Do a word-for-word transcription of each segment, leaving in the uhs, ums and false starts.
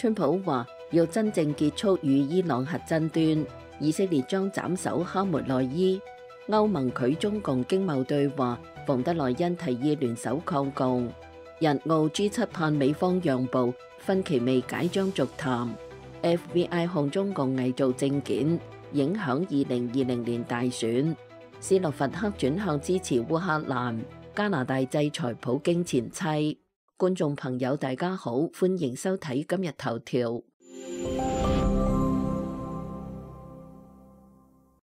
川普話要真正結束與伊朗核爭端，以色列將斬首哈梅內伊。歐盟拒中共經貿對話，馮德萊恩提議聯手抗共。日澳 G 七盼美方讓步，分歧未解將續談。F B I 控中共偽造證件，影響二零二零年大選。斯洛伐克轉向支持烏克蘭。加拿大制裁普京前妻。觀眾朋友大家好，歡迎收睇今日頭條。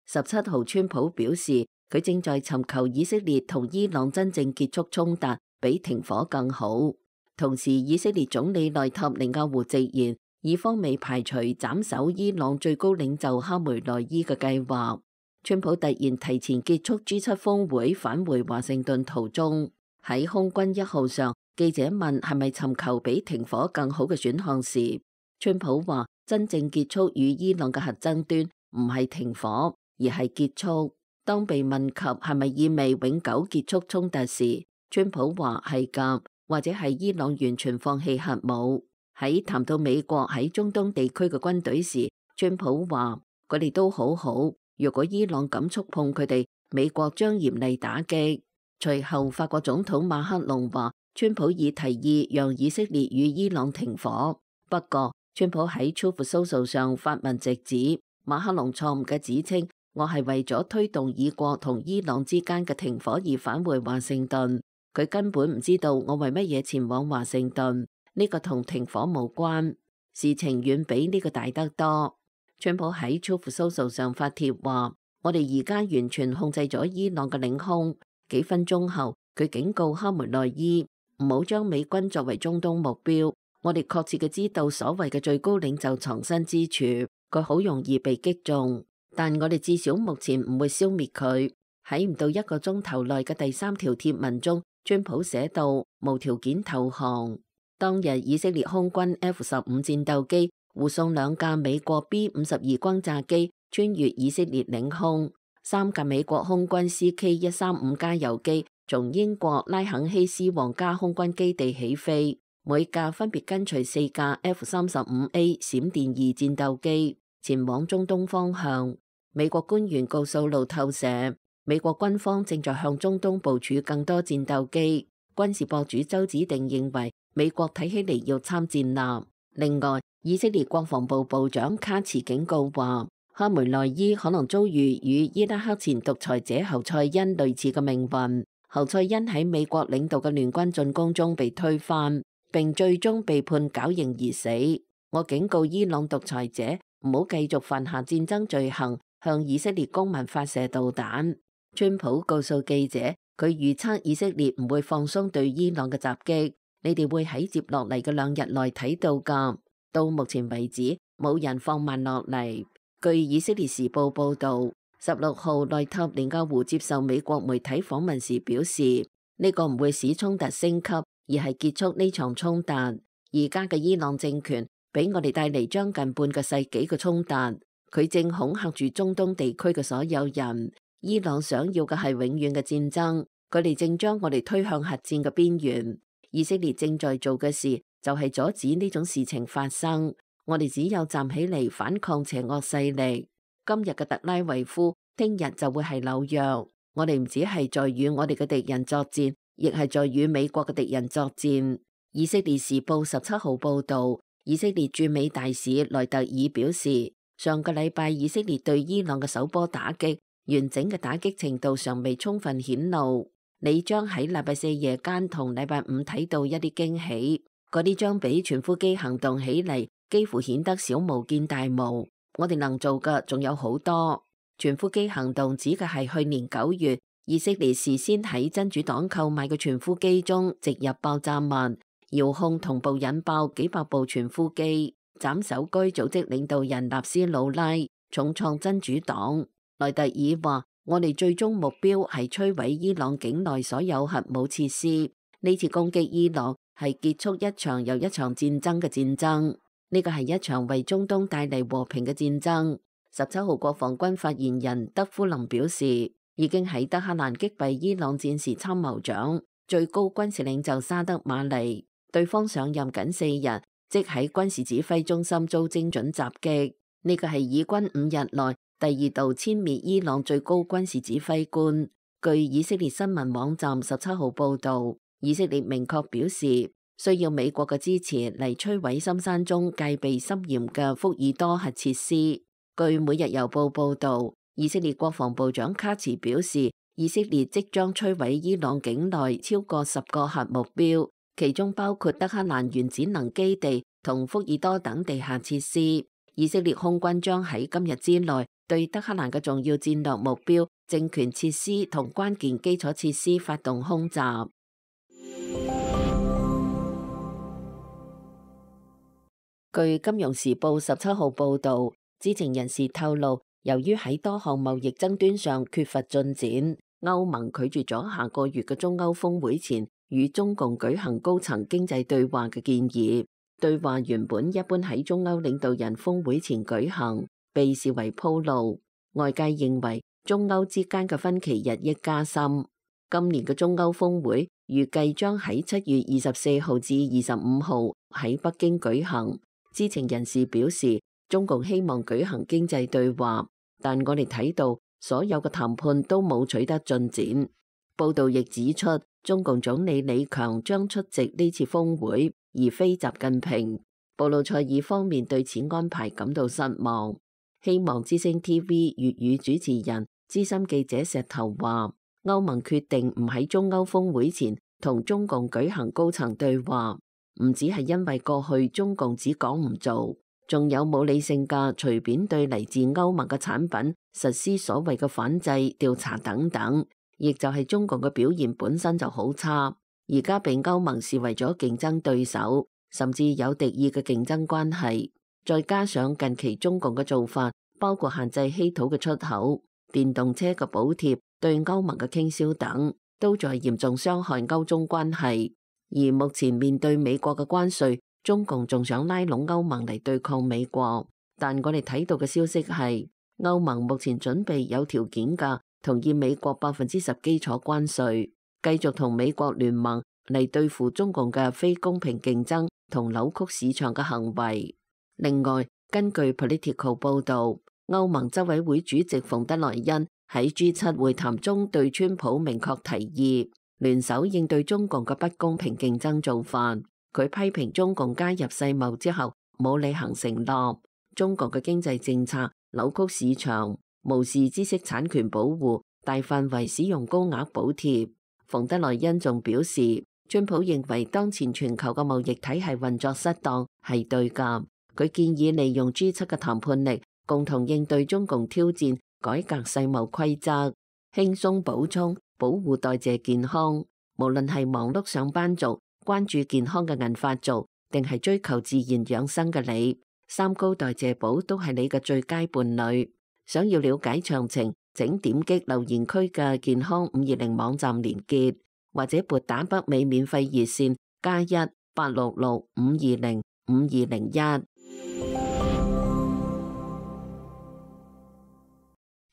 十七號，川普表示佢正在尋求以色列同伊朗真正結束衝突，比停火更好。同時，以色列總理內塔尼亞胡直言，以方未排除斬首伊朗最高領袖哈梅內伊嘅計劃。川普突然提前結束 G 七峰會，返回華盛頓途中，喺空軍一號上，記者問係咪尋求比停火更好嘅選項時，川普話真正結束與伊朗嘅核爭端唔係停火，而係結束。當被問及係咪意味永久結束衝突時，川普話係㗎，或者係伊朗完全放棄核武。喺談到美國喺中東地區嘅軍隊時，川普話佢哋都好好，如果伊朗敢觸碰佢哋，美國將嚴厲打擊。隨後，法國總統馬克龍話川普已提議讓以色列與伊朗停火。不過，川普喺 Truth Social 上發文直指馬克龍錯誤嘅指稱，我係為咗推動以國同伊朗之間嘅停火而返回華盛頓。佢根本唔知道我為乜嘢前往華盛頓，呢個同停火無關，事情遠比呢個大得多。川普喺 Truth Social 上發帖話：我哋而家完全控制咗伊朗嘅領空。幾分鐘後，佢警告哈梅內伊唔好將美軍作為中東目標。我哋確切嘅知道所謂嘅最高領袖藏身之處，佢好容易被擊中，但我哋至少目前唔會消滅佢。喺唔到一個鐘頭內嘅第三條貼文中，川普寫道無條件投降。當日以色列空軍 F 十五戰鬥機護送兩架美國 B 五十二轟炸機穿越以色列領空。三架美國空軍 C K 一三五加油機從英國拉肯希斯皇家空軍基地起飛，每架分別跟隨四架 F 三十五 A 閃電二戰鬥機前往中東方向。美國官員告訴路透社，美國軍方正在向中東部署更多戰鬥機。軍事博主周子定認為美國睇起嚟要參戰啦。另外，以色列國防部部長卡茨警告話，哈梅內伊可能遭遇與伊拉克前獨裁者侯賽因類似嘅命運。侯賽因喺美國領導嘅聯軍進攻中被推翻，並最終被判絞刑而死。我警告伊朗獨裁者唔好繼續犯下戰爭罪行，向以色列公民發射導彈。川普告訴記者，佢預測以色列唔會放鬆對伊朗嘅襲擊，你哋會喺接落嚟嘅兩日內睇到㗎。到目前為止，冇人放慢落嚟。據以色列時報報道，十六號內塔尼亞胡接受美國媒體訪問時表示，呢個唔會使衝突升級，而係結束呢場衝突。而家嘅伊朗政權俾我哋帶嚟將近半個世紀嘅衝突，佢正恐嚇住中東地區嘅所有人。伊朗想要嘅係永遠嘅戰爭，佢哋正將我哋推向核戰嘅邊緣。以色列正在做嘅事就係阻止呢種事情發生。我哋只有站起嚟反抗邪惡勢力。今日嘅特拉維夫，聽日就會係紐約。我哋唔只係在與我哋嘅敵人作戰，亦係在與美國嘅敵人作戰。以色列時報十七號報道，以色列駐美大使萊特爾表示，上個禮拜以色列對伊朗嘅首波打擊，完整嘅打擊程度尚未充分顯露。你將喺禮拜四夜間同禮拜五睇到一啲驚喜，嗰啲將比傳呼機行動起嚟幾乎顯得小巫見大巫。我哋能做嘅仲有好多。傳呼機行動指嘅係去年九月，以色列事先喺真主黨購買嘅傳呼機中植入爆炸物，遙控同步引爆幾百部傳呼機，斬首該組織領導人納斯魯拉，重創真主黨。萊特爾話：我哋最終目標係摧毀伊朗境內所有核武設施。呢次攻擊伊朗係結束一場又一場戰爭嘅戰爭。呢個係一場為中東帶嚟和平嘅戰爭。十七號國防軍發言人德夫林表示，已經喺德黑蘭擊斃伊朗戰時參謀長、最高軍事領袖沙德馬尼。對方上任僅四日，即喺軍事指揮中心遭精準襲擊。呢個係以軍五日內第二度殲滅伊朗最高軍事指揮官。據以色列新聞網站十七號報道，以色列明確表示需要美國嘅支持嚟摧毀深山中戒備森嚴嘅福爾多核設施。據每日郵報報道，以色列國防部長卡茨表示，以色列即將摧毀伊朗境內超過十個核目標，其中包括德黑蘭原子能基地同福爾多等地下設施。以色列空軍將喺今日之內對德黑蘭嘅重要戰略目標、政權設施同關鍵基礎設施發動空襲。據《金融時報》十七號報導，知情人士透露，由於喺多項貿易爭端上缺乏進展，歐盟拒絕咗下個月嘅中歐峰會前與中共舉行高層經濟對話嘅建議。對話原本一般喺中歐領導人峰會前舉行，被視為鋪路。外界認為中歐之間嘅分歧日益加深。今年嘅中歐峰會預計將喺七月二十四號至二十五號喺北京舉行。知情人士表示，中共希望舉行經濟對話，但我哋睇到所有嘅談判都冇取得進展。報道亦指出，中共總理李強將出席呢次峰會，而非習近平。布魯塞爾方面對此安排感到失望。希望之聲 T V 粵語主持人資深記者石頭話，歐盟決定唔喺中歐峰會前同中共舉行高層對話，唔只係因為過去中共只講唔做，仲有冇理性嘅隨便對嚟自歐盟嘅產品實施所謂嘅反制調查等等，亦就係中共嘅表現本身就好差，而家被歐盟視為咗競爭對手，甚至有敵意嘅競爭關係。再加上近期中共嘅做法，包括限制稀土嘅出口、電動車嘅補貼、對歐盟嘅傾銷等，都在嚴重傷害歐中關係。而目前面對美國嘅關稅，中共仲想拉攏歐盟嚟對抗美國。但我哋睇到嘅消息係，歐盟目前準備有條件嘅同意美國百分之十基礎關稅，繼續同美國聯盟嚟對付中共嘅非公平競爭同扭曲市場嘅行為。另外，根據 Political 報導，歐盟執委會主席馮德萊恩喺 G 七會談中對川普明確提議聯手應對中共嘅不公平競爭做法。佢批評中共加入世貿之後冇履行承諾，中國嘅經濟政策扭曲市場，無視知識產權保護，大範圍使用高額補貼。馮德萊恩仲表示，川普認為當前全球嘅貿易體系運作失當係對㗎。佢建議利用 G 七嘅談判力，共同應對中共挑戰，改革世貿規則，輕鬆補充保護代謝健康。無論係忙碌上班族、關注健康嘅銀髮族，定係追求自然養生嘅你，三高代謝寶都係你嘅最佳伴侶。想要了解詳情，請點擊留言區嘅健康五二零網站連結，或者撥打北美免費熱線加一八六六五二零五二零一。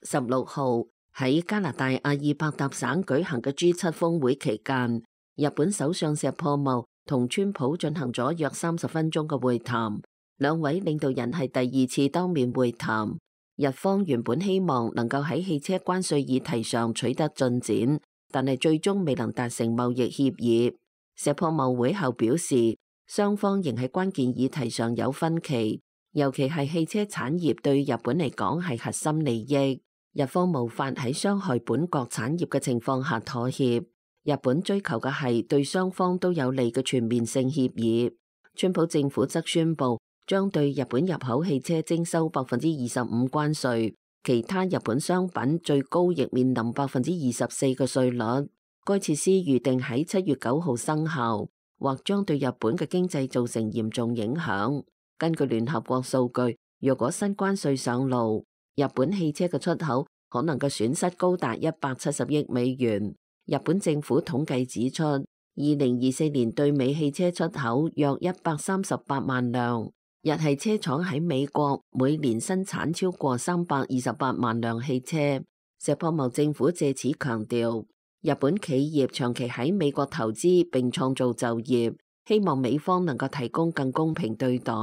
十六號喺加拿大阿爾伯達省舉行嘅 G 七峰會期間，日本首相石破茂同川普進行咗約三十分鐘嘅會談，兩位領導人係第二次當面會談。日方原本希望能夠喺汽車關稅議題上取得進展，但係最終未能達成貿易協議。石破茂會後表示，雙方仍喺關鍵議題上有分歧，尤其係汽車產業對日本嚟講係核心利益。日方無法喺傷害本國產業嘅情況下妥協，日本追求嘅係對雙方都有利嘅全面性協議。川普政府則宣布將對日本入口汽車徵收百分之二十五關稅，其他日本商品最高亦面臨百分之二十四嘅稅率。該設施預定喺七月九號生效，或將對日本嘅經濟造成嚴重影響。根據聯合國數據，若果新關稅上路，日本汽車嘅出口可能嘅損失高達一百七十億美元。日本政府統計指出，二零二四年對美汽車出口約一百三十八萬輛，日系車廠喺美國每年生產超過三百二十八萬輛汽車。石破茂政府借此強調，日本企業長期喺美國投資並創造就業，希望美方能夠提供更公平對待。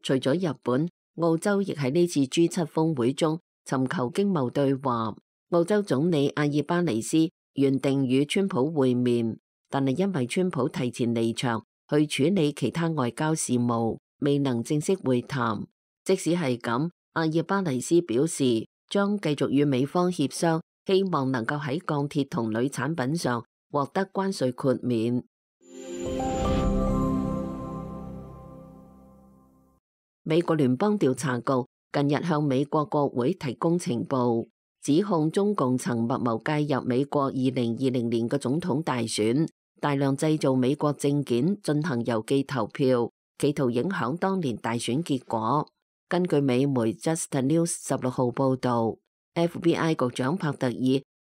除咗日本，澳洲亦喺呢次 G 七峰會中尋求經貿對話。澳洲總理阿爾巴尼斯原定與川普會面，但係因為川普提前離場去處理其他外交事務，未能正式會談。即使係咁，阿爾巴尼斯表示將繼續與美方協商，希望能夠喺鋼鐵同鋁產品上獲得關稅豁免。美國聯邦調查局近日向美國國會提供情報，指控中共曾密謀介入美國二零二零年嘅總統大選，大量製造美國證件進行郵寄投票，企圖影響當年大選結果。根據美媒 Just News 十六號報導，F B I 局長帕特爾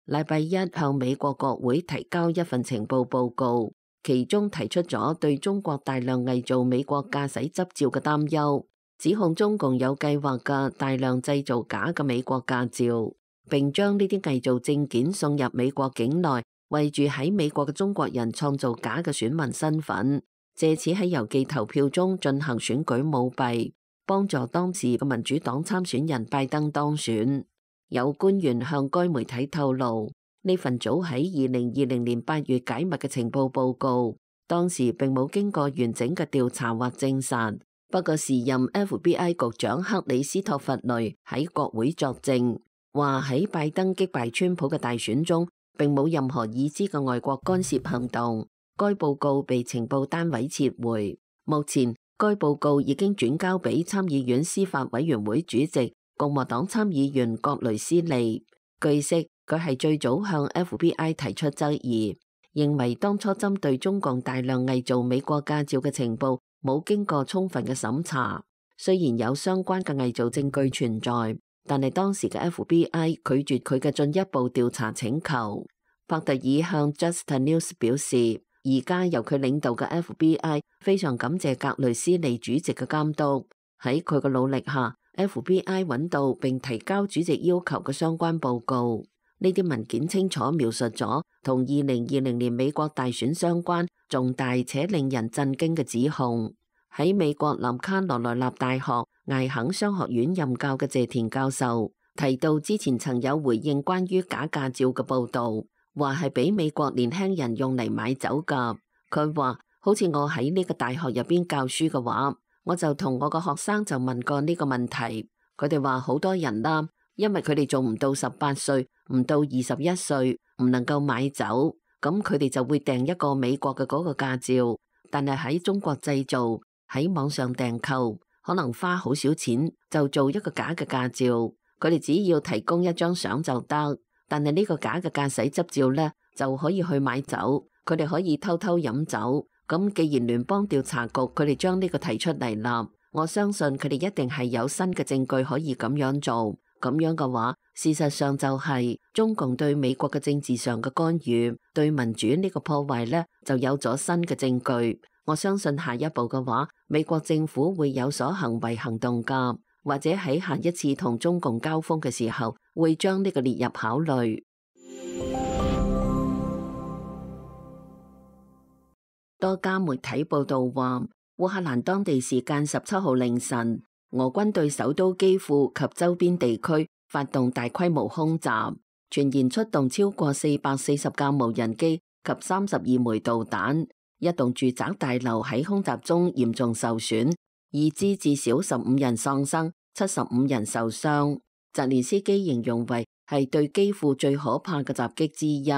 禮拜一向美國國會提交一份情報報告，其中提出咗對中國大量偽造美國駕駛執照嘅擔憂，指控中共有計劃嘅大量製造假嘅美國駕照，並將呢啲偽造證件送入美國境內，為住喺美國嘅中國人創造假嘅選民身份，借此喺郵寄投票中進行選舉舞弊，幫助當時嘅民主黨參選人拜登當選。有官員向該媒體透露，呢份早喺二零二零年八月解密嘅情報報告，當時並冇經過完整嘅調查或證實。不過時任 F B I 局長克里斯托弗雷喺國會作證，話喺拜登擊敗川普嘅大選中，並冇任何已知嘅外國干涉行動。該報告被情報單位撤回。目前該報告已經轉交俾參議院司法委員會主席共和黨參議員葛雷斯利。據悉，佢係最早向 F B I 提出質疑，認為當初針對中共大量偽造美國駕照嘅情報冇經過充分嘅審查。雖然有相關嘅偽造證據存在，但係當時嘅 F B I 拒絕佢嘅進一步調查請求。帕特爾向 Just News 表示，而家由佢領導嘅 F B I 非常感謝格雷斯利主席嘅監督，喺佢嘅努力下 ，F B I 揾到並提交主席要求嘅相關報告。呢啲文件清楚描述咗同二零二零年美國大選相關重大且令人震驚嘅指控。喺美國南卡羅來納大學艾肯商學院任教嘅謝田教授提到，之前曾有回應關於假駕照嘅報導，話係俾美國年輕人用嚟買酒㗎。佢話好似我喺呢個大學入邊教書嘅話，我就同我個學生就問過呢個問題，佢哋話好多人啦，因為佢哋仲唔到十八歲，唔到二十一歲，唔能夠買酒，咁佢哋就會訂一個美國嘅嗰個駕照，但係喺中國製造，喺網上訂購，可能花好少錢就做一個假嘅駕照，佢哋只要提供一張相就得，但係呢個假嘅駕駛執照呢，就可以去買酒，佢哋可以偷偷飲酒。咁既然聯邦調查局佢哋將呢個提出嚟啦，我相信佢哋一定係有新嘅證據可以咁樣做。咁樣嘅話，事實上就係中共對美國嘅政治上嘅干預，對民主呢個破壞呢，就有咗新嘅證據。我相信下一步嘅話，美國政府會有所行為行動㗎，或者喺下一次同中共交鋒嘅時候，會將呢個列入考慮。多家媒體報道話，烏克蘭當地時間十七號凌晨，俄軍對首都基輔及周邊地區發動大規模空襲，傳言出動超過四百四十架無人機及三十二枚導彈。一棟住宅大樓喺空襲中嚴重受損，已知至少十五人喪生，七十五人受傷。澤連斯基形容為係對基輔最可怕嘅襲擊之一。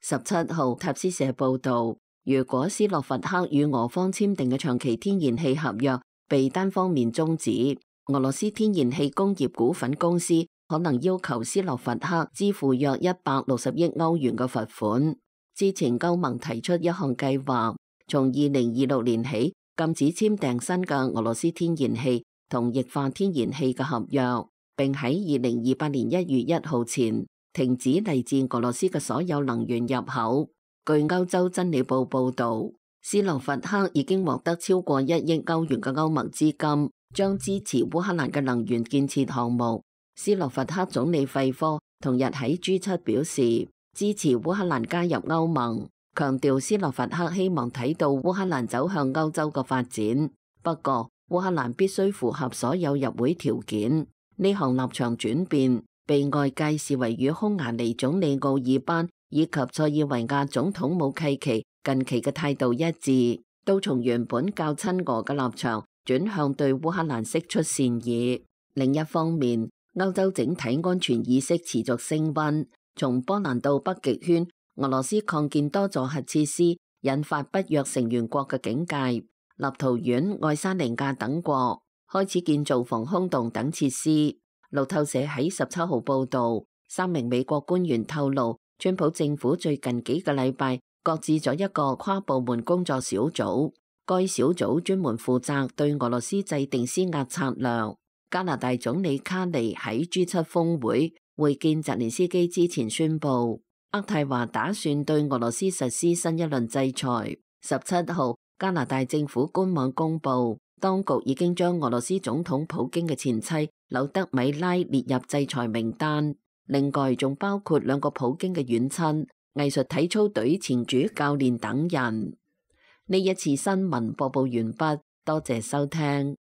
十七號塔斯社報道，如果斯洛伐克與俄方簽訂嘅長期天然氣合約被單方面終止，俄羅斯天然氣工業股份公司可能要求斯洛伐克支付約一百六十億歐元嘅罰款。之前歐盟提出一項計劃，從二零二六年起禁止簽訂新嘅俄羅斯天然氣同液化天然氣嘅合約，並喺二零二八年一月一號前停止嚟自俄羅斯嘅所有能源入口。據歐洲真理報報道，斯洛伐克已經獲得超過一億歐元嘅歐盟資金，將支持烏克蘭嘅能源建設項目。斯洛伐克總理費科同日喺 G 七表示，支持烏克蘭加入歐盟。強調斯洛伐克希望睇到烏克蘭走向歐洲嘅發展，不過烏克蘭必須符合所有入會條件。呢項立場轉變被外界視為與匈牙利總理奧爾班以及塞爾維亞總統武契奇近期嘅態度一致，都從原本較親俄嘅立場轉向對烏克蘭釋出善意。另一方面，歐洲整體安全意識持續升溫，從波蘭到北極圈，俄羅斯擴建多座核設施，引發北約成員國嘅警戒。立陶宛、愛沙尼亞等國開始建造防空洞等設施。路透社喺十七號報導，三名美國官員透露，川普政府最近幾個禮拜擱置咗一個跨部門工作小組，該小組專門負責對俄羅斯制定施壓策略。加拿大總理卡尼喺 G 七峰會會見澤連斯基之前宣布，渥太華打算對俄羅斯實施新一輪制裁。十七號，加拿大政府官網公布，當局已經將俄羅斯總統普京嘅前妻柳德米拉列入制裁名單，另外仲包括兩個普京嘅遠親、藝術體操隊前主教練等人。呢一次新聞播報完畢，多謝收聽。